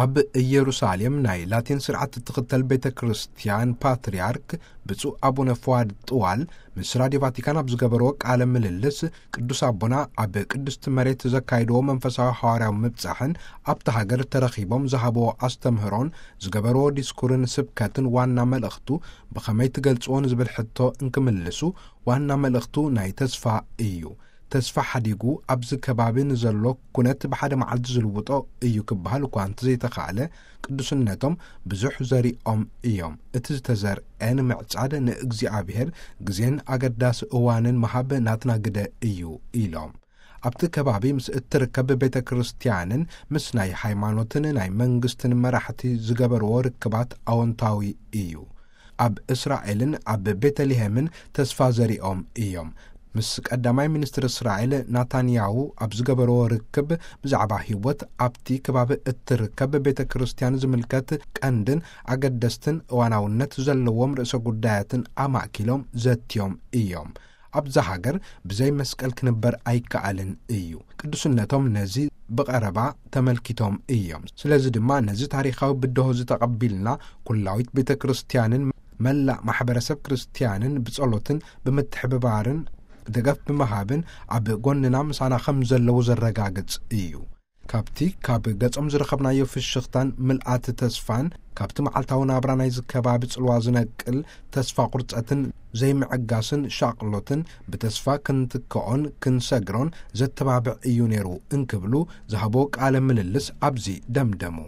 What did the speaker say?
ኣብ ኢየሩሳሌም ናይ ላቲን ስርዓት እትኽተል ቤተ ክርስቲያን ፓትርያርክ ብፁዕ ኣቡነ ፍዋድ ጥዋል ምስ ራዲዮ ቫቲካን ኣብ ዝገበርዎ ቃለ ምልልስ፣ ቅዱስ ኣቦና ኣብ ቅድስቲ መሬት ዘካይድዎ መንፈሳዊ ሓዋርያዊ ምብጻሕን ኣብቲ ሃገር ተረኺቦም ዝሃብዎ ኣስተምህሮን ዝገበርዎ ዲስኩርን ስብከትን ዋና መልእኽቱ ብኸመይ ትገልጽዎ ንዝብል ሕቶ እንክምልሱ፣ ዋና መልእኽቱ ናይ ተስፋ እዩ። ተስፋ ሓዲጉ ኣብዚ ከባቢ ንዘሎ ኩነት ብሓደ መዓልቲ ዝልውጦ እዩ ክበሃል እኳ እንተዘይተኻእለ፣ ቅዱስነቶም ብዙሕ ዘሪኦም እዮም። እቲ ዝተዘርአ ንምዕጻድ ንእግዚኣብሔር ግዜን ኣገዳሲ እዋንን ምሃብ ናትና ግደ እዩ ኢሎም። ኣብቲ ከባቢ ምስ እትርከብ ቤተ ክርስቲያንን ምስ ናይ ሃይማኖትን ናይ መንግስትን መራሕቲ ዝገበርዎ ርክባት ኣወንታዊ እዩ። ኣብ እስራኤልን ኣብ ቤተልሔምን ተስፋ ዘሪኦም እዮም። ምስ ቀዳማይ ሚኒስትር እስራኤል ናታንያሁ ኣብ ዝገበርዎ ርክብ ብዛዕባ ህይወት ኣብቲ ከባቢ እትርከብ ቤተ ክርስቲያን ዝምልከት ቀንድን ኣገደስትን እዋናውነት ዘለዎም ርእሰ ጉዳያትን ኣማእኪሎም ዘትዮም እዮም። ኣብዛ ሃገር ብዘይ መስቀል ክንበር ኣይከኣልን እዩ። ቅዱስነቶም ነዚ ብቐረባ ተመልኪቶም እዮም። ስለዚ ድማ ነዚ ታሪኻዊ ብድሆ እዚ ተቐቢልና፣ ኩላዊት ቤተ ክርስቲያንን መላእ ማሕበረሰብ ክርስቲያንን ብጸሎትን ብምትሕብባርን ደገፍ ብምሃብን ኣብ ጎንና ምሳና ከም ዘለዉ ዘረጋግጽ እዩ። ካብቲ ካብ ገጾም ዝረኸብናዮ ፍሽኽታን ምልኣት ተስፋን፣ ካብቲ መዓልታዊ ናብራ ናይዚ ከባቢ ጽልዋ ዝነቅል ተስፋ ቁርጸትን ዘይምዕጋስን ሻቕሎትን ብተስፋ ክንትክኦን ክንሰግሮን ዘተባብዕ እዩ ነይሩ እንክብሉ ዝሃቦ ቃለ ምልልስ ኣብዚ ደምደሙ።